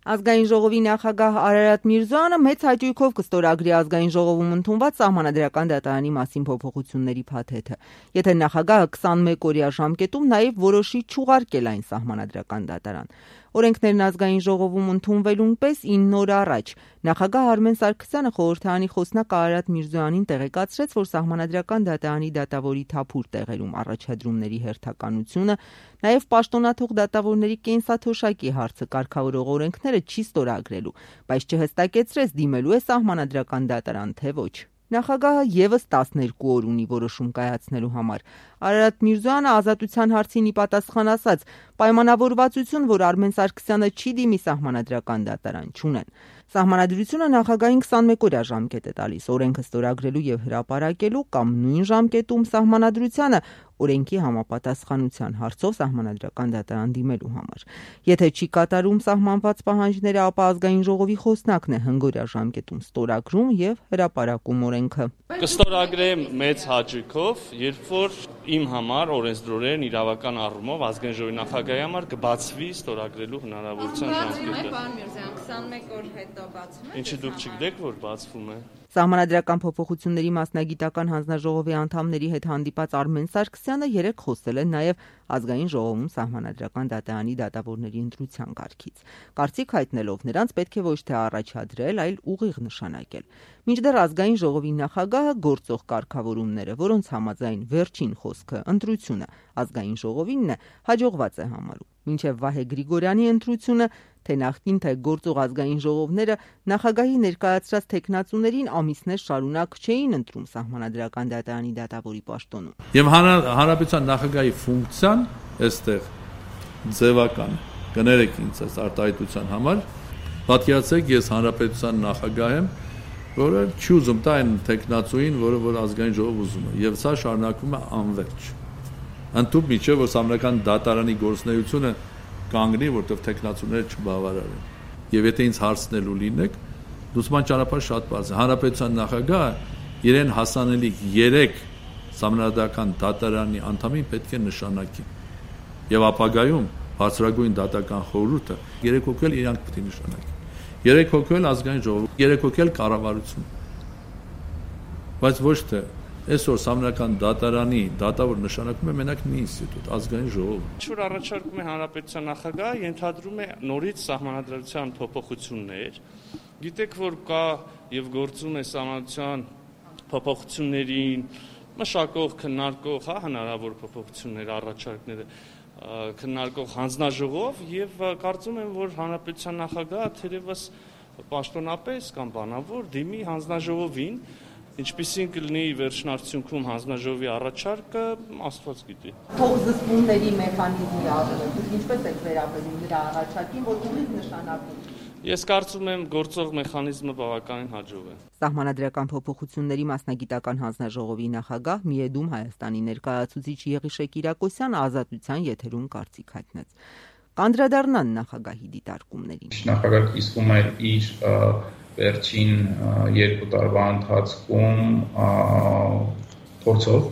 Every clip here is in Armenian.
Ազգային ժողովի նախագահ Արարատ Միրզոյանը մեծ հաճույքով կստորագրի ազգային ժողովում ընդունված Սահմանադրական դատարանի մասին փոփոխությունների փաթեթը, եթե նախագահը 21 օրյա ժամկետում նաև որոշի չուղարկել այն Սահմանադրական դատարան։ Օրենքներն ազգային ժողովում ընդունվելուն պես 9 օր առաջ նախագահ Արմեն Սարգսյանը խորհրդարանի խոսնակ Արարատ Միրզոյանին տեղեկացրեց, որ Սահմանադրական դատարանի դատավորի թափուր տեղերում առաջադրումների հերթականությունը, նաև պաշտոնաթող դատավորների կենսաթոշակի հարցը կարգավորող օրենքները չի ստորագրելու, բայց չհստակեցրեց դիմելու է Սահմանադրական դատարան, թե ոչ։ Նախագահը ևս 12 օր ունի որոշում կայացնելու համար։ Արարատ Միրզոյանը ազատության հարցին ի պատասխան ասաց, պայմանավորվածություն, որ Արմեն Սարգսյանը չի դիմի Սահմանադրական դատարան, չունեն։ Սահմանադրությունը նախագահին 21 օրյա ժամկետ է տալիս օրենքը ստորագրելու եւ հրապարակելու կամ նույն ժամկետում Սահմանադրությանը օրենքի համապատասխանության հարցով Սահմանադրական դատարան դիմելու համար։ Եթե չի կատարում սահմանված պահանջները, ապա ազգային ժողովի խոսնակն է հնգօրյա ժամկետում ստորագրում եւ հրապարակում օրենքը։ Կստորագրեմ մեծ հաճույքով, երբ որ իմ համար օրենսդրորեն իրավական առումով ազգային ժողովի նախագահի համար կբացվի ստորագրելու հնարավորության ժամկետը։ Պարոն Միրզոյան, 21 օր հետո բացվում է։ Ինչի դուք չգիտեք, որ բացվում է։ Սահմանադրական փոփոխությունների մասնագիտական հանձնաժողովի անդամների հետ հանդիպած Արմեն Սարգսյանը երեկ խոսել է նաև ազգային ժողովում Սահմանադրական դատարանի դատավորների ընտրության կարգից։ Կարծիք հայտնելով նրանց պետք է ոչ թե առաջադրել, այլ ուղիղ նշանակել։ Մինչդեռ ազգային ժողովի նախագահը գործող կարգավորումները, որոնց համաձայն վերջին խոսքը ընտրությունը ազգային ժողովինն է, հաջողված է համարում։ Մինչև Վահե Գրիգորյանի ընտրությունը, թե նախկին թե գործող ազգային ժողովները նախագահի ներկայացրած թեկնածուներին ամիսներ շարունակ չէին ընտրում Սահմանադրական դատարանի դատավորի պաշտոնում։ Եվ հանրապետության նախագահի ֆունկցիան այստեղ ձևական կներեք ինձ այս արտահայտության համար, պատկերացրեք ես հանրապետության նախագահ եմ, որը չի ուզում տա այն թեկնածուին, որ ազգային ժողով ուզում է, եւ սա շարունակվում է անվերջ։ Ընդհուպ միջև որ Սահմանադրական դատարանի գործունեությունը կանգնի, որտեղ թեկնածուները չբավարարեն։ Եվ եթե ինձ հարցնելու լինեք, դուսման ճանապարհը շատ բարձր է։ Հանրապետության նախագահը իրեն հասանելիք 3 Սահմանադրական դատարանի անդամին պետք է նշանակի։ Եվ ապագայում բարձրագույն դատական խորհուրդը 3 հոգել իրանք պետք է նշանակի։ 3 հոգել ազգային ժողով, 3 հոգել կառավարություն։ Բայց ոչ թե այսօր Սահմանադրական դատարանի դատավոր նշանակում է մենակ մի ինստիտուտ, ազգային ժողով։ Ինչ որ առաջարկում է հանրապետության նախագահը, ենթադրում է նորից սահմանադրության փոփոխություններ։ Գիտեք, որ կա եւ գործում է սահմանադրության փոփոխություններին մշակող, քննարկող, հնարավոր փոփոխություններ, առաջարկները քննարկող հանձնաժողով եւ կարծում եմ, որ հանրապետության նախագահը թերևս պաշտոնապես կամ բանավոր դիմի հանձնաժողովին, ինչպիսին կլինի վերջնարդյունքում հանձնաժողովի առաջարկը, Աստված գիտի։ Փոխզսպումների մեխանիզմի առնելուց ինչպես եք վերաբերում նրա առաջարկին, որ ուղիղ նշանակում։ Ես կարծում եմ գործող մեխանիզմը բավականին հաջող է։ Սահմանադրական փոփոխությունների մասնագիտական հանձնաժողովի նախագահ Միեդում Հայաստանի ներկայացուցիչ Եղիշե Կիրակոսյանը ազատության եթերում կարծիք հայտնեց։ Կանդրադառնան նախագահի դիտարկումներին։ Նախագահը իսկում է իր վերջին 2 տարվա ընթացքում փորձով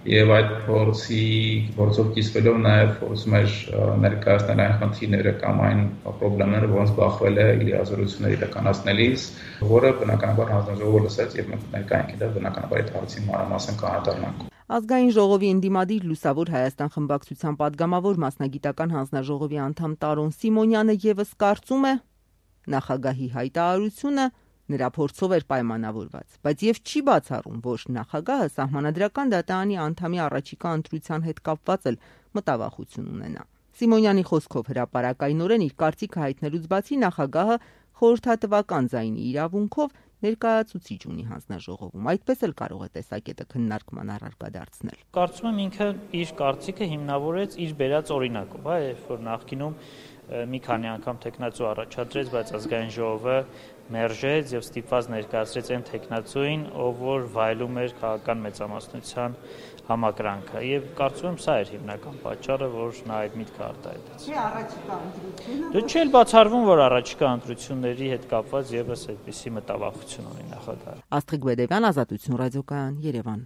եւ այդ փորձով կիսվելով նաեւ փորձում էր ներկայացնել այն խնդիրները կամ այն խնդիրները, որոնց բախվել է լիազորությունների իրականացնելիս, որը բնականաբար հանձնաժողովը լսեց եւ մենք ներկայինք դա բնականաբար այդ հարցին մանրամասն կանադառնանք։ Ազգային ժողովի ընդդիմադիր Լուսավոր Հայաստան խմբակցության падգամավոր մասնագիտական հանձնաժողովի անդամ Տարոն Սիմոնյանը եւս կարծում է նախագահի հայտարարությունը նրա փորձով էր պայմանավորված, բայց եւ չի բացառում, որ նախագահը Սահմանադրական դատարանի անդամի առաջիկա ընտրության հետ կապված էլ մտավախություն ունենա։ Սիմոնյանի խոսքով հրապարակայնորեն իր կարծիքը հայտնելուց բացի նախագահը խորհրդատվական ձայնի իրավունքով ներկայացուցիչ ունի հանձնաժողովում, այդպես էլ կարող է տեսակետը քննարկման առարկա դարձնել։ Կարծում եմ ինքը իր կարծիքը հիմնավորեց իր բերած օրինակով, երբ որ նախկինում մի քանի անգամ տեխնացու առաջադրեց, բայց ազգային ժողովը մերժեց եւ ստիպված ներկայացրեց այն տեխնացուին, ով որ վայելում էր քաղաքական մեծամասնության համակրանքը եւ կարծում եմ սա էր հիմնական պատճառը, որ նա այդ միտքը արտահայտեց։ Չէ, առաջիկա ընտրությունը։ Դե չէ, բացառվում, որ առաջիկա ընտրությունների հետ կապված եւս այդպիսի մտավախություն ունի նախագահը։ Աստղիկ Բեդևյան, Ազատություն ռադիոկայան, Երևան։